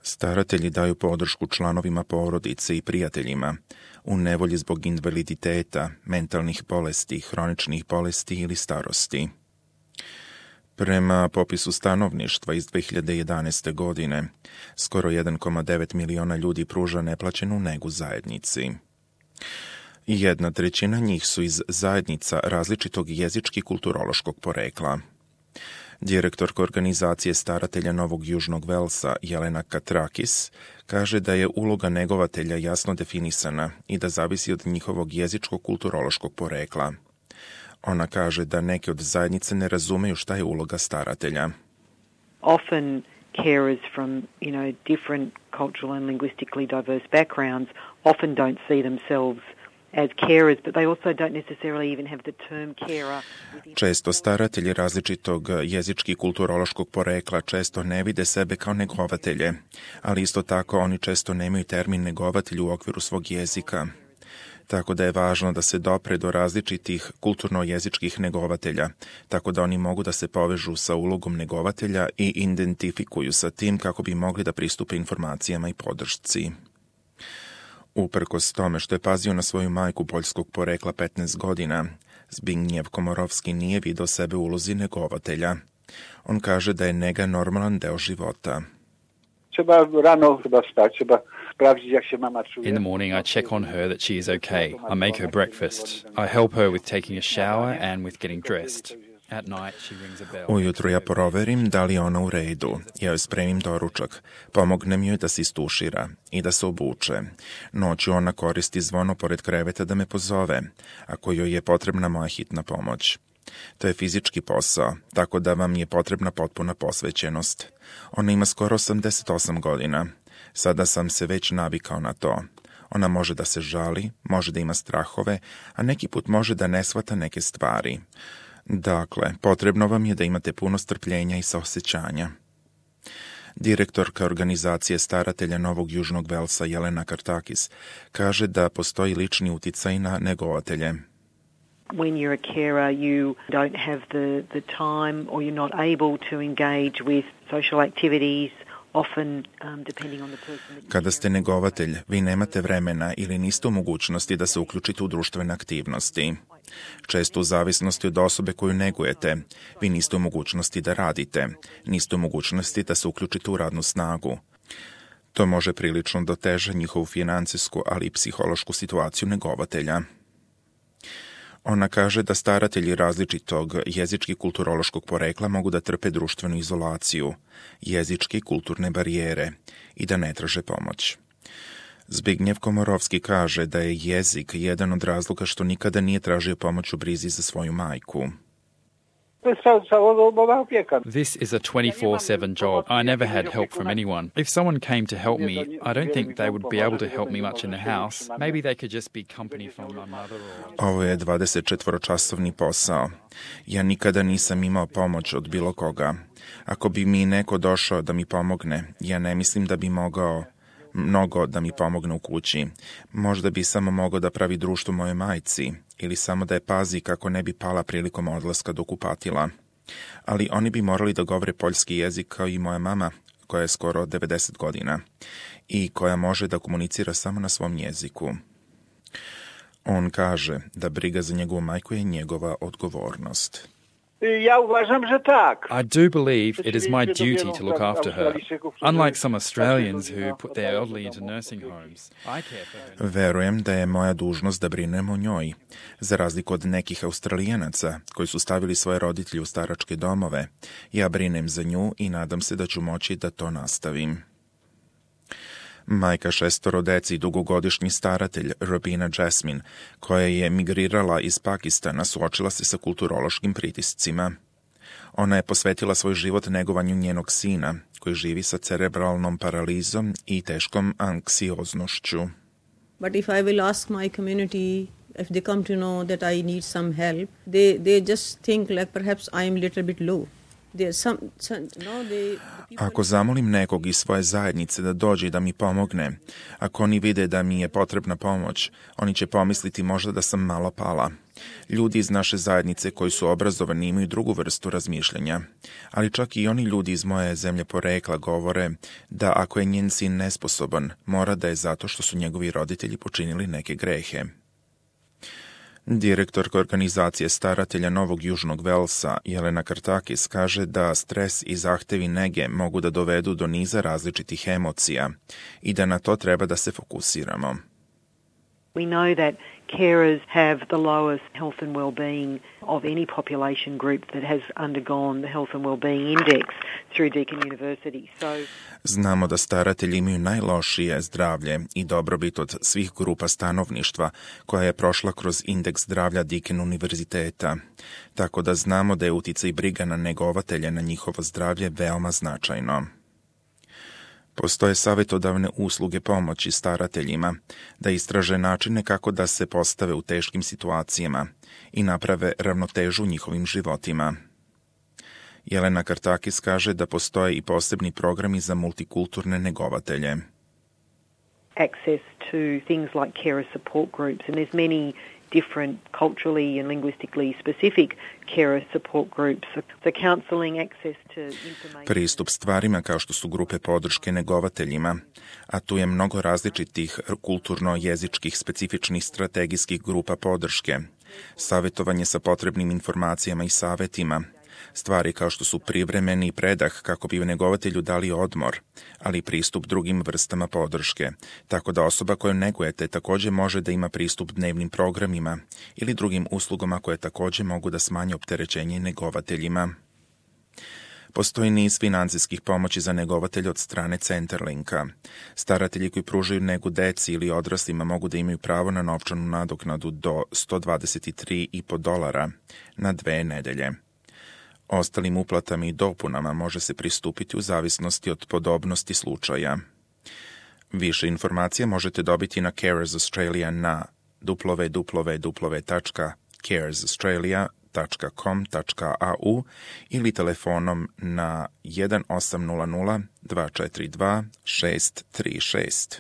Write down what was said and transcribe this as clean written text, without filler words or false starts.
Staratelji daju podršku članovima porodice i prijateljima u nevolji zbog invaliditeta, mentalnih bolesti, hroničnih bolesti ili starosti. Prema popisu stanovništva iz 2011. godine, skoro 1,9 miliona ljudi pruža neplaćenu negu zajednici. 1/3 njih su iz zajednica različitog jezički-kulturološkog porekla. Direktorka organizacije staratelja Novog Južnog Velsa, Jelena Katrakis, kaže da je uloga negovatelja jasno definisana i da zavisi od njihovog jezičko-kulturološkog porekla. Ona kaže da neke od zajednice ne razumeju šta je uloga staratelja. Often carers from, different cultural and linguistically diverse backgrounds often don't see themselves as carers, but they also don't necessarily even have the term carer. Često staratelji različitog jezički kulturološkog porekla često ne vide sebe kao negovatelje, ali isto tako oni često nemaju termin negovatelj u okviru svog jezika. Tako da je važno da se dopre do različitih kulturno-jezičkih negovatelja, tako da oni mogu da se povežu sa ulogom negovatelja i identifikuju sa tim kako bi mogli da pristupe informacijama i podršci. Uprkos tome što je pazio na svoju majku poljskog porekla 15 godina, Zbigniew Komorowski nije video sebe u ulozi negovatelja. On kaže da je nega normalan deo života. In the morning I check on her that she is okay. I make her breakfast. I help her with taking a shower and with getting dressed. At night she rings a bell. Ujutro ja proverim da li je ona u redu. Ja joj spremim doručak. Pomognem joj da se istušira i da se obuče. Noću ona koristi zvono pored kreveta da me pozove, ako joj je potrebna moja hitna pomoć. To je fizički posao, tako da vam je potrebna potpuna posvećenost. Ona ima skoro 88 godina. Sada sam se već navikao na to. Ona može da se žali, može da ima strahove, a neki put može da ne shvata neke stvari. Dakle, potrebno vam je da imate puno strpljenja i saosećanja. Direktorka organizacije staratelja Novog Južnog Velsa Jelena Kartakis kaže da postoji lični uticaj na negovatelje. When you're a carer, you don't have the time or you're not able to engage with social activities. Kada ste negovatelj, vi nemate vremena ili niste u mogućnosti da se uključite u društvene aktivnosti. Često u zavisnosti od osobe koju negujete, vi niste u mogućnosti da radite, niste u mogućnosti da se uključite u radnu snagu. To može prilično da oteža njihovu financijsku, ali i psihološku situaciju negovatelja. Ona kaže da staratelji različitog jezički-kulturološkog porekla mogu da trpe društvenu izolaciju, jezičke i kulturne barijere i da ne traže pomoć. Zbigniew Komorowski kaže da je jezik jedan od razloga što nikada nije tražio pomoć u brizi za svoju majku. This is a 24/7 job. I never had help from anyone. If someone came to help me, I don't think they would be able to help me much in the house. Maybe they could just be company from my mother or... Ovo je 24-časovni posao. Ja nikada nisam imao pomoć od bilo koga. Ako bi mi neko došao da mi pomogne, ja ne mislim da bi mogao mnogo da mi pomogne u kući. Možda bi samo mogao da pravi društvo moje majci ili samo da je pazi kako ne bi pala prilikom odlaska do kupatila. Ali oni bi morali da govore poljski jezik kao i moja mama, koja je skoro 90 godina i koja može da komunicira samo na svom jeziku. On kaže da briga za njegovu majku je njegova odgovornost. Ja uważam, że tak. I do believe it is my duty to look after her. Unlike some Australians who put their elderly into nursing homes, I care for her. Verujem da je moja dužnost da brinem o njoj. Za razliku od nekih Australijanaca koji su stavili svoje roditelje u staračke domove, ja brinem za nju i nadam se da ću moći da to nastavim. Majka 6 dece i dugogodišnji staratelj Robina Jasmine, koja je migrirala iz Pakistana, suočila se sa kulturološkim pritiscima. Ona je posvetila svoj život negovanju njenog sina, koji živi sa cerebralnom paralizom i teškom anksioznošću. But if I will ask my community, if they come to know that I need some help, they just think like perhaps I am a little bit low. Ako zamolim nekog iz svoje zajednice da dođe i da mi pomogne, ako oni vide da mi je potrebna pomoć, oni će pomisliti možda da sam malo pala. Ljudi iz naše zajednice koji su obrazovani imaju drugu vrstu razmišljanja, ali čak i oni ljudi iz moje zemlje porekla govore da ako je njen sin nesposoban, mora da je zato što su njegovi roditelji počinili neke grehe. Direktorka organizacije staratelja Novog Južnog Velsa, Jelena Kartakis, kaže da stres i zahtevi nege mogu da dovedu do niza različitih emocija i da na to treba da se fokusiramo. We know that carers have the lowest health and well-being of any population group that has undergone the Health and Well-being Index through Deakin University. Znamo da staratelji imaju najlošije zdravlje i dobrobit od svih grupa stanovništva koja je prošla kroz indeks zdravlja Deakin univerziteta, tako da znamo da je uticaj briga na negovatelje na njihovo zdravlje veoma značajno. Postoje savjetodavne usluge pomoći starateljima da istraže načine kako da se postave u teškim situacijama i naprave ravnotežu u njihovim životima. Jelena Kartakis kaže da postoje i posebni programi za multikulturne negovatelje. Access to things like carer support groups, and there's many different culturally and linguistically specific carer support groups. So counselling, access to information. Pristup stvarima kao što su grupe podrške negovateljima, a tu je mnogo različitih kulturno-jezičkih specifičnih strategijskih grupa podrške, savjetovanje sa potrebnim informacijama i savjetima, stvari kao što su privremeni predah kako bi negovatelju dali odmor, ali i pristup drugim vrstama podrške, tako da osoba koju negujete također može da ima pristup dnevnim programima ili drugim uslugama koje također mogu da smanje opterećenje negovateljima. Postoji niz financijskih pomoći za negovatelje od strane Centerlinka. Staratelji koji pružaju negu deci ili odraslima mogu da imaju pravo na novčanu nadoknadu do $123,50 na 2 nedelje. Ostalim uplatama i dopunama može se pristupiti u zavisnosti od podobnosti slučaja. Više informacija možete dobiti na Carers Australia na www.caresaustralia.com.au ili telefonom na 1800 242 636.